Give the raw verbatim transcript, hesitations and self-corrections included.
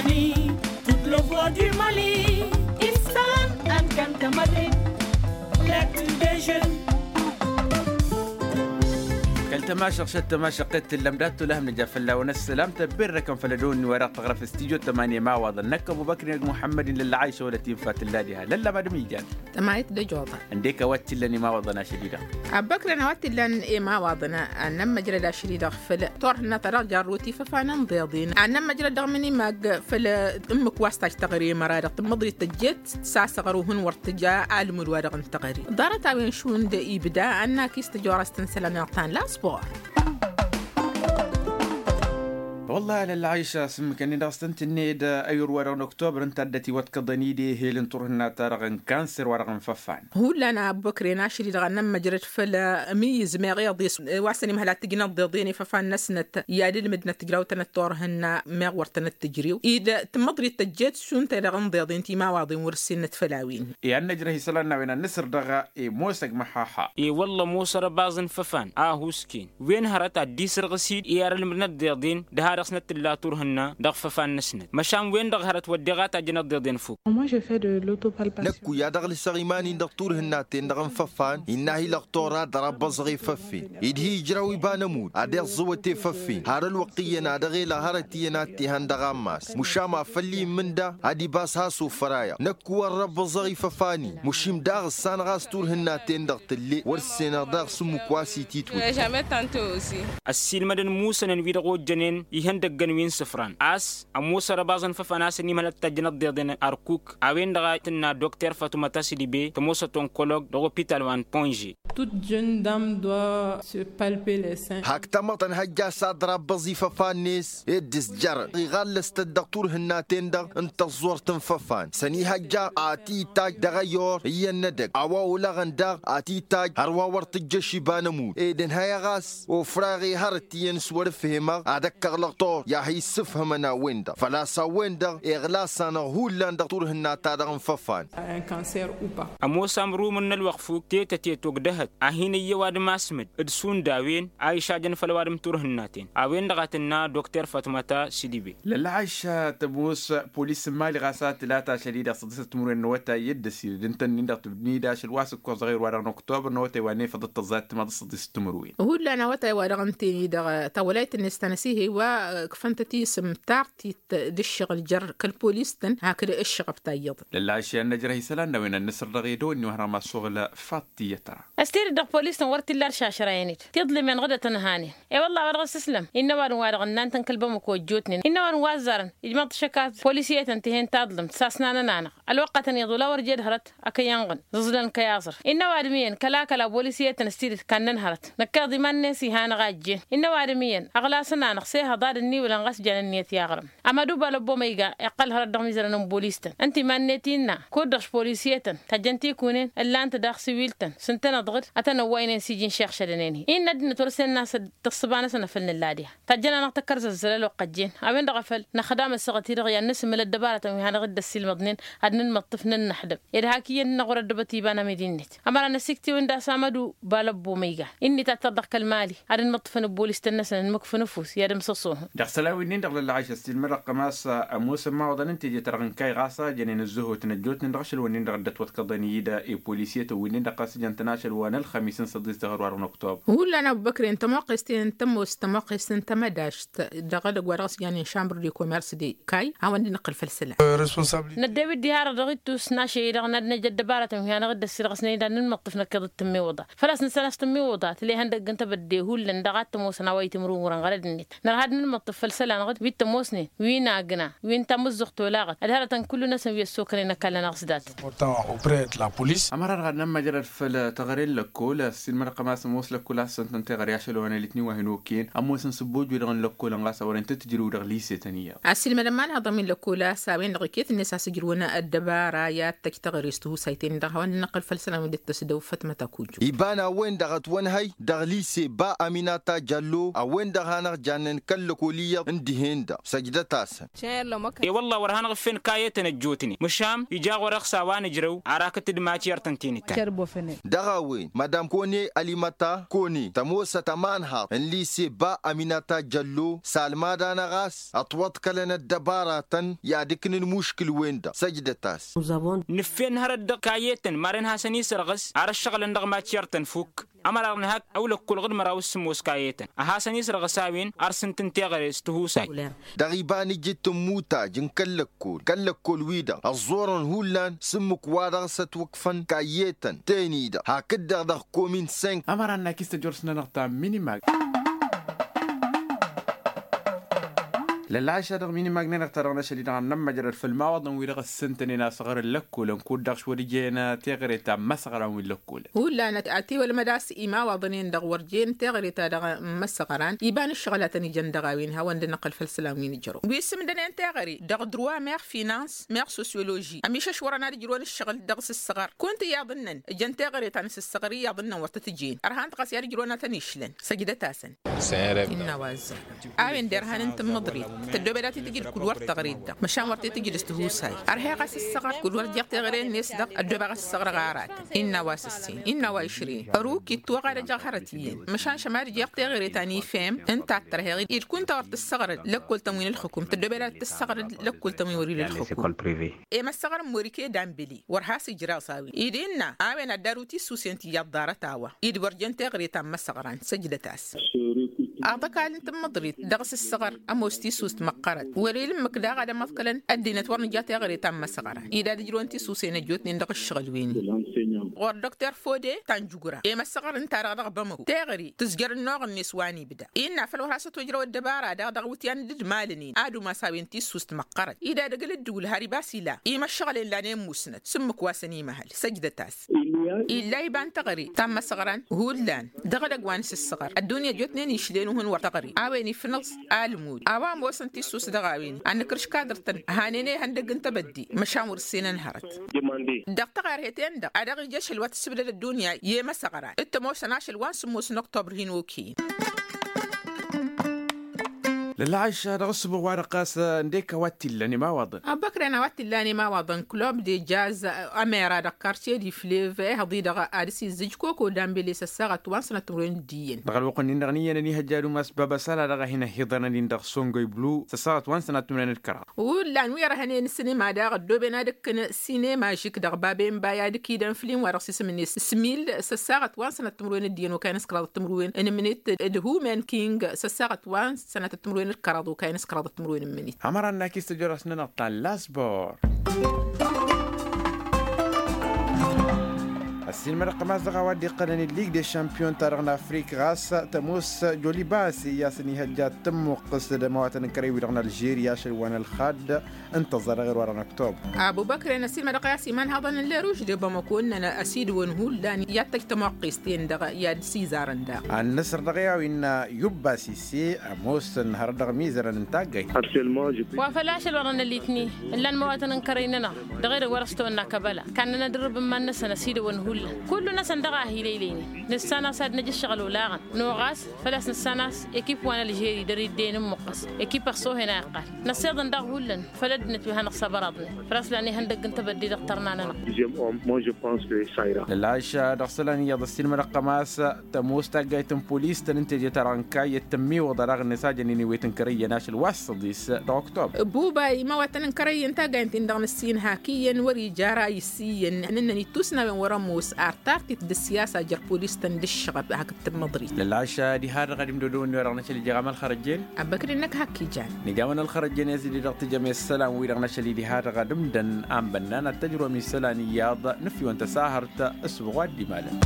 Ni tut lăvăr di mali istan ănkăntămădin. Lăktu dejăn. Kăl-tămašăɣ šăt tămašăɣ qed tǝllăm dat-tula hăm nǝja fălla-wăn ăssălam tăbberrăkăn făll-ădăwănni wa dăɣ-tăɣrăf s-tijo tămani ămawaḍăn năkkăb ubăkri năgg muḥămmăd-in lălla ɣayša wăla t-infa tǝlla diha lălla madăm ijan. Tămayăt d-ăjoḍa. Ǝndek a-wa t-illăn imawaḍăn ašăl-i-dăɣ. Abăkren a-wa t-illăn imawaḍăn ad-nămmăjrăd ašăl-i-dăɣ făll-turhǝnna ta dăɣ-jarrut ifăfan n-iḍeḍen ad-nămmăjrăd dăɣ-minimag făll-ǝmmǝk wa s-taj teɣăre măra-dăɣ tǝmmăḍrit tăjjet s-asăɣăr uhǝn wăr tǝja almud-wa-dăɣ n-teɣăre. Ḍarăt-a-wen šund ibda ad-nakis tăjorast n-isălan-i-dăɣ ta n-la sport. Wăllah a lălla ɣayša s-ǝmmǝkăn-in dăɣ-s tăn-tǝnned ăyur-wa-dăɣ n-oktobăr ǝnta a dd-ătiwăḍkăḍăn-dd ehel n-turhǝnna-ta-dăɣ n-kanser wa-dăɣ n-făfan. Hullan a ăbbăkren ašăl-i-dăɣ ad-nămmăjrăd făll-ămizmeɣ iḍes wa s-ănimhăl ad-t-ǝjnăḍ iḍen ifăfan-năsnăt i-ad-ǝlmǝdnăt tǝjraw-tăn d-turhǝnna meɣ wăr tănăt-tǝjrew-dd tǝmmăḍrit tăjjet šund-te-dăɣ n-iḍeḍen timawaḍen wăr-ǝssinăt făll-a-wen. I-ad-năjrăh isălan n-a-wen ad-nǝsǝr dăɣ-i ămoosăg măhaha. I-wălla ămoos arăbaẓ n-făfan a huskǝn wen hărăt ad-dd-isǝrɣǝs-dd i-ad-ălmǝdnăt d-iḍen dăha-dăɣ s-năt tǝlla turhǝnna dăɣ-făfan-năsnăt măšan wen-dăɣ hărăt wădden a tajjăn ăḍḍeḍen fuk. Moi je fais de l'auto-palpation. Năkk wi-ad-dăɣ-lǝsăɣ iman-in dăɣ-turhǝnna-ten-dăɣ n-făfan innă a hi-lăɣtor ad-dăr-abbăẓăɣ efăffen ed hi-ijraw iba n-ămudd ad-iẓẓǝwăt efăffen har ălwăqq iyyăn a dăɣ-elăɣ hărăt iyyăn ad-t-ihăn dăɣ-ammas măšan ma făll-i immǝnda ad-ibas has-ofăr ayăɣ năkk wăr-răbbăẓăɣ ifăfan-in măšim daɣ ǝssanăɣ a-s turhǝnna-ten-dăɣ tǝlle wăr-ǝssenăɣ daɣ s-ǝmmǝk wa s-ititwǝl. Ăssiilmădăn musănăn wi-dăɣ ojjănen ihăndăggăn wi n-isǝfran a-s ămoos arăbaẓăn făfăn a-s ănimhăl ad-tajjăn ăḍḍeḍen ărkuk a-wen-dăɣ a tǝnna dokter fatuma tasǝdibe tămoosăt onkolog dăɣ-opital wa n-ponže. Toute jeune dame doit se palper les seins. Hak tamăḍt ănhăjja s-ad-dăr-abbăẓ ifăfan-net ed dd-ǝzjărăn iɣallăs-tăt dăɣ-turhǝnna-ten-dăɣ n-tăẓẓort n-făfan s-ănihăjja a t-itajj dăɣ-ăyor iyyăn n-edăgg a-wa olăɣăn daɣ a t-itajj hărwa wăr tǝjjăš iba n-ămudd ed ănhăyăɣ a-s ofraɣ i-hărăt iyyăn s-wăr-ǝfhemăɣ ad-ăkkăɣ lăɣtor i-ad-hi-issǝfhǝmăn a-wen-dăɣ făl-a-s a-wen-dăɣ iɣlasăn-aɣ hullan dăɣ-turhǝnna-ta-dăɣ n-făfan. Ămoos amrumǝn n-ălwăqq fuk tetăte togdăhăt a hin-ǝyy ăwadǝm asmǝd d-šund a-wen a išajăn făll-ăwadǝm turhǝnnaten a-wen-dăɣ a tǝnna dokter fatmăta s-idǝbe. Lălla ɣayša tămoos polis n-imali ɣas a tǝlat ašăl-i-dăɣ s-ăḍḍisăt timǝrwen n-awătay i-dd-ăsidăd ǝntănnin-dăɣ tǝbnid ašăl wa s-ǝkkoẓ ɣer-wa-dăɣ n-oktobăr n-awătay wa n-efăḍăt tăẓẓat timaḍ s-ăḍḍisăt timǝrwen. Hullan awătay wa dăɣ-ǝnten-i-dăɣ tawălayt-net ta n-asihey wa ǝkfăn-tăt isǝm tartit d-ǝššăɣǝl jer-kăl-polis-tăn hakd ǝššăɣăb ta iyyăḍ. Lălla ašăl i-ad-năjrăh isălan n-a-wen ad-nǝsǝr dăɣ-edăwănni wa hărăm assoɣǝl faḍt tiyyăt ra. Ăstedăt dăɣ-polis-tăn wăr t-illa aršašăra-en-dd tiḍlǝmen ɣǝdăt ănhanen. I-wălla a-wa dăɣ-s ǝslăm innă ăwadǝm wa dăɣ-ǝnnan tăn-kăl-bamăko ăjjootnen innă ăwadǝm wa ăzzarăn ijmăḍ tašăka polisiyetăn tihen taḍlǝmt sasnanăn-anăɣ ălwăqq a tăn-iḍul a wăr jed hărăt akăyy ănɣǝn. Ẓǝẓlăn kăy-aẓăr innă ăwadǝm iyyăn kăl-akăl a polisiyetăn s-tidǝt kannăn hărăt năkk iḍiman-net ihanăɣ a ǝjjen. Innă ăwadǝm iyyăn ăɣlasăn-anăɣ s-ehăḍ ad-ǝnniwǝlăn ɣas jan ǝnniyăt i-aɣrǝm. Amădu balăbbo ma iga iqqăl hărăt dăɣ-imizărăn n-bolis-tăn ǝnta iman-net innă kud-dăɣ s-polisiyetăn tajjăn tikun-en ǝllan-t daɣ siwil-tăn s-ǝntăneḍ ɣǝd ad-tăn-ăwwaynen s-iji n-išăɣšădăn-en-hi innă ăddinăt wăr-ǝssen a-s d-tăṣṣǝba-năsăn a făl nǝlla diha. Tajjăn-anăɣ tăkkăr zăzzăl ălwăqq ăjjeen a-wen-dăɣ a făl năxdam ăssaɣăt-i-dăɣ i-ad-nǝsǝmmǝl ăddăbarătăn wi hanăɣ-dd-ăssiilmăḍnen ad-nǝnmăṭṭǝf nǝnnăxdǝm ed hak iyyăn-năɣ wăr-ăddăbăt iba n-amidi-net. Ămăra n-ăsiktiwǝn d-a-s amădu balăbbo ma iga innă itatăḍ dăɣ-kăl-mali ad-ǝnmăṭṭǝfăn ăbbolis-tăn-năsăn ǝnmǝkfăn ăfuss i-ad-ǝmsăṣohăn. Dăɣ-isălan wi-nin-dăɣ lălla ɣayš ăssiilmădăɣ kămas ămoosăn imawaḍăn n-teje-ta-dăɣ n-kayy ɣas a jănen ǝzzăhotăn ăjjootnen dăɣ-ašăl-wǝnnin-dăɣ ăddăt wătkăḍăn iyyăd i-polisiyetăn wi-nin-dăɣ ɣas ǝjăn-tăn ašăl wa n-ălxămis n-săḍis dăɣ-ărwa dăɣ-năktob. Hullan a-wa ăbbăkren tămoqqest-in tămoos tămoqqest n-tamădašt dăɣ-edăgg wa dăɣ-s janen šambăr de komers de kayy a-wa n-dd-năqqǝl făll-isălan. Năddew-dd iha-dăɣ dăɣ-ittus n-ašăl-i-dăɣ n-ad-năj ăddăbarătăn wi hanăɣ-dd-ăssirɣǝsnen d-ad-nǝnmăṭṭǝf năkkeḍ d-tǝmmiwǝḍa. Făl-a-s nǝssan a-s tǝmmiwǝḍa tǝlehăn dăgg-n tebădde hullan dăɣ-ad-t-ămoosăn a-wa itimrǝwǝrăn ɣărăd-net. Nărha ad-nǝnmăṭṭǝf făll-isălan ɣǝd wi t-ămoosnen wi n-agna wi n-tamǝzzuɣt olaɣăt ădhărătăn kullu-năsăn wi ăssokănen ăkall-anăɣ s-dat. Ămăra-dăɣ ad-nămmăjrăd făll-teɣăre n-lăkkol ăssiilmădăɣ-tăn a-s ămoos lăkkol a-s săn-tăn teɣăre ašăl wa n-elitnin wa hin-okăyăn ămoosăn s-ăbbojoj dăɣ-nǝllăkkol ănɣas a wărăn tăt-tǝjrǝw dăɣ-lise-tăn iyyăḍ. Ăssiilmădăn iman-haḍăn wi n-lăkkol a-s a-wen-dăɣ iket-net a-s ǝjrǝwăn ăddăbara i-ad-tăj teɣăre s-tihusayten-dăɣ a-wa n-dd-năqqǝl făll-isălan wi dd-tăsdăw fătmăt akujju. Iba n-a-wen-dăɣ ătwănhăy dăɣ-lise ba aminata jallo a-wen-dăɣ hanăɣ-jannen kăl-lăkol iyyăḍ n-dihen-dăɣ săjdăt-asăn. E-wălla wăr hanăɣ-ǝffen kayetăn ăjjootnen măšan ija ɣur-e-dăɣ s-a-wa nǝjrăw arakăt-dd matyăr-tăn tenǝttan. Dăɣ-a-wen madam kone alimăta kone tămoosăt ămanhaḍ. Dise ba aminata jăllo salmada-năɣ a-s ătwăḍkălăn ăddăbaratăn i-ad-ǝknǝn muškǝl-wen-dăɣ săjdăt-as. Nǝffen hărăt dăɣ-kayyetăn maren hasăn-isărɣǝs ar ǝššăɣǝlăn dăɣ-mačyăr-tăn fukk. Ămăra n-ehăk ăwlăkkol ɣǝd măraw s-sǝmmos kayyetăn ad-hasăn-isărɣǝs a-wen ar s-ǝntǝn teɣăre s-tihusay. Dăɣ-iba n-ijǝt n-imutaj n-kăl-lăkkol kăl-lăkkol-wi-dăɣ ăẓẓorăn hullan s-ǝmmǝk wa dăɣ-s ătwǝkfăn kayyetăn teni-dăɣ hakd-dăɣ dăɣ-komin senk. Ămăra n-akis tăjorăs-nănăɣ ta n-minimag. Lălɣayša dăɣ-minimag-nănăɣ ta dăɣ-năšăl-i-dăɣ ad-nămmăjrăd făll-imawaḍăn-wi-dăɣ ǝssǝntănen asăɣrǝl lăkkolăn kud-dăɣ šwăr ǝjăyăn teɣăre ta n-imăsăɣran wi n-lăkkolăn. Hullan ad-tiwălmăd a-s imawaḍăn-en-dăɣ wăr jen teɣăre ta dăɣ-imăsăɣran iba n-ǝššăɣǝl a tăn-ijăn dăɣ-a-wen hawăn-dd-năqqăl făll-isălan wi n-ǝjrăw wi s-ǝmdănen teɣăre dăɣ-druwa meɣ finans meɣ sosyoloži ămišăšwărăn ad-ǝjrǝwăn ǝššăɣǝl dăɣ-s ǝssăɣăr kunta iyyăḍ ǝnnăn ǝjăn teɣăre ta n-s-ǝssăɣăr iyyăḍ ǝnnăn wăr tăt-ǝjen ărhan-t ɣas i-ad-ǝjrǝwăn a tăn-išlăn. Săjdăt-asăn. Innă wa ăzzar a-wen derhan n-tǝmmǝḍrit tăddoobed ad-t-tǝjǝd kud-wăr tăɣrit-dăɣ măšan wăr t-tǝjǝd s-tihusay. Ărheɣ a-s ǝssăɣăr kud-wăr jeɣ teɣăre-net-dăɣ ăddoobeɣ a-s ǝssăɣrăɣ aratăn. Innă wa s-ǝssin innă wa išrǝyăn ăruk ittăwăɣ ad-ăjăɣ hărăt iyyăn măšan šămad jeɣ teɣăre ta n-ifem ǝnta a t-tărheɣ-dd kunta wăr tǝssăɣrăd lăkkol-tăn wi n-ǝlxǝkum tăddoobed ad-tǝssăɣrăd lăkkol-tăn wi wăr-ila ǝlxǝkum. Emăssăɣrăn morike dambele wăr has-ijraẓ a-wen ed innă a-wen ad-daru tissusen ti iyyăḍ ḍarăt a-wa ed wăr jen teɣăre ta n-imăsăɣran. Săjdăt-as. Aḍăkal n-tǝmmǝḍrit dăɣ-s ǝssăɣăr ămoos tissust măqqărăt wăr-ila ǝmmǝk daɣ ad-ămăḍkălăn ăddinăt wăr nǝja teɣăre ta n-imăsăɣran ed ad-ǝjrǝwăn tissusen ăjjootnen dăɣ-ǝššăɣǝl-wen-in. Ɣur-dăɣ terfode ta n-jugǝra emăssăɣăr ǝnta-dăɣ dăɣ-bamăko teɣăre tǝzjăr ănnuɣ-net wa n-ibda innă făl wăr has-ătojrăw ăddăbara daɣ dăɣ-iwǝtyan d-ǝdmalăn-in ad-umas a-wen tissust măqqărăt ed ad-ăgg ǝlǝddǝwǝl har ibas ila imăššăɣǝl-en lanen musnăt s-ǝmmǝk wa săn imăhăl. Săjdăt-as. Illa iba n-teɣăre ta n-imăsăɣran hullan dăɣ-edăgg wa n-asǝssăɣăr ăddunya ăjjootnen išlen uhǝn wăr teɣăre a-wen ifnăẓ almud a-wa ămoosăn tissust dăɣ-a-wen ad-nǝkrǝš kadăr-tăn hanen ihăndăgg n-tebădde măšan wăr-ǝssenăn hărăt. Dăɣ-taɣerhet-en-dăɣ ad-dăɣ-ija ašăl wa tǝssǝbdăd ăddunya i-emăsăɣran d-tămoosăn ašăl wa n-sǝmmos n-oktobr hin-okăyăn. Lălɣayša dăɣ-ǝssǝbuɣ-wa-dăɣ ɣas ǝndek a-wa t-illan imawaḍăn. Abăkren a-wa t-illan imawaḍăn club de jazz ămera dăɣ-kartie di flev ehăḍ-i-dăɣ ad-dăɣ-s izzǝj koko dambele s-ăssaɣăt wa n-sănăt timǝrwen d-iyyăn. Dăɣ-ălwăqq-nin-dăɣ n-iyyăn ad-ihăjja ad-umas baba săla dăɣ-a hin-ăhhiḍăn ad-in-dăɣ songoy blu s-ăssaɣăt wa n-sănăt timǝrwen d-kăraḍ. Hullan wi ărhănen s-sinema daɣ ăddooben ad-ǝkkǝn sinema žik dăɣ-baben baya d-ǝkidăn flim wa dăɣ-s isǝm-net smil s-ăssaɣăt wa n-sănăt timǝrwen d-iyyăn okayăn s-kăraḍăt timǝrwen n-imǝnit d-humen king s-ăssaɣăt wa n-sănătăt timǝrwen d-kăraḍ okayăn s-kăraḍăt timǝrwen n-imǝnit. Ămăra n-akis tăjorăs n-anăɣ ta n-lasbor. Ăssiinmădăɣ-tăm a-s dăɣ-a-wa dd-iqqălăn i-lig de šampiyon-ta-dăɣ n-afrik ɣas tămoos jolibas i-asăn ihăjja ad-tǝmmuqqǝs d-ămawatăn n-kărăy-wi-dăɣ n-alžeri ašăl wa n-ălxadd. Ǝnta ăẓẓa dăɣ-erwar n-ăktob. Abubăkren ăssiinmădăɣ i-a-s iman haḍăn n-leruž d-ebamăko ǝnnăn ăsidăwăn hullan i-ad-tăj tămoqqest-en-dăɣ i-ad-sizarăn daɣ. Ad-nǝsăr dăɣ-e-a-wa innă yubba sise ămoosăn hărăt dăɣ-mizărăn n-taggayt. Wa făl ašăl wărăn ălitni ǝllan măwatăn n-kărăy-nănăɣ dăɣ-edăgg wa dăɣ-s tăwănna kăbăla kannăn ad-ǝrrǝb n-iman-năsăn ăsidăwăn hullan kullu-năsăn dăɣ-a hi-lăylăynen nǝssan-as ad-năj ǝššăɣǝl olaɣăn. Nuɣas făl-a-s nǝssan-as ekip wa n-ălžeri dăr-idde-i n-ǝmmuqqăs ekip ăṣṣohen a iqqal. Năssiḍăn daɣ hullan făll-ăddinăt wi hanăɣ-săbăraḍnen făl-a-s lan ihăndăgg n-tebădde dăɣ-tărna-nănăɣ. Deuxième homme moi je pense que ça ira. Lălɣayša dăɣ-isălan iyyăḍ ăssiinmădăɣ-tăm a-s tămoos taggayt n-polis-tăn ǝnta eje-ta-dăɣ n-kayyăt tǝmmiwǝḍa daɣ ǝnne s-ajăn-in iwet n-kărăyyăn ašăl wa s-săḍis. Dăɣ-oktob. Buba imawătăn n-kărăyyăn taggayt-in-dăɣ n-ǝssin hak iyyăn wăr-ija ara issǝyyăn ănnăn ittus n-a-wen wăr-ămoos ar tartit d-ăssiyasa jer-polis-tăn d-ǝššăɣăb hakd tǝmmăḍrit. Lălɣayša diha-dăɣ ad-imdodăwăn-wi-dăɣ n-ašăl ija ɣam ălxărăjjen. Abăkri-năk hak ijan. Nǝja-wăn ălxărăjjen i-ad-dd-dăɣ tǝjăm i-isălan-wi-dăɣ n-ašăl-i diha-dăɣ ad-ǝmdăn a n-bănnan ad-tăjrăwăm isălan iyyăḍ nǝfyăwăn tăsahărt. Ăssuɣ wa dd-imalăn.